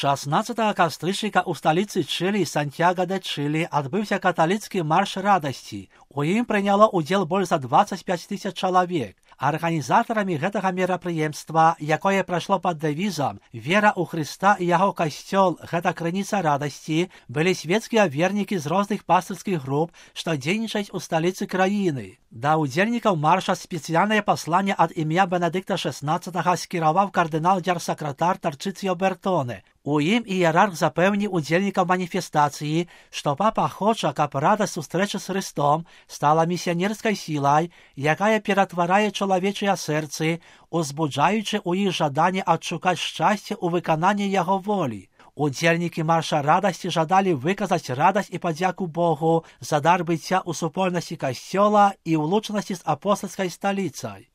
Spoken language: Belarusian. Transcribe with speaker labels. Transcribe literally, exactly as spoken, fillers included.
Speaker 1: шістнадцятого кастрычніка ў сталіцы Чылі Сантьяга-де-Чылі адбыўся каталіцкі марш радасці. У ім прыняло ўдзел больш за дваццаць пяць тысяч чалавек. Арганізатарамі гэтага мерапрыемства, якое прайшло пад дэвізам «Вера ў Хрыста і яго касцёл – гэта крыніца радасці», былі свецкія вернікі з розных пастырскіх груп, што дзейнічаюць у сталіцы краіны. Да ўдзельнікаў марша спецыяльнае пасланне ад імя Бенедыкта шэснаццатага скіраваў кардынал-дзярсакратар Тарчыцыё Бертоне. У ім іерарх запэўніў удзельнікаў маніфестацыі, што папа хоча, каб радасць сустрэчы з Хрыстом стала місіянерскай сілай, якая ператварае чалавечыя сэрцы, узбуджаючы ў іх жаданне адшукаць шчасце ў выкананні яго волі. Удзельнікі марша радасці жадалі выказаць радасць і падзяку Богу за дар быцця ў супольнасці касцёла і ўлучанасці з апостальскай сталіцай.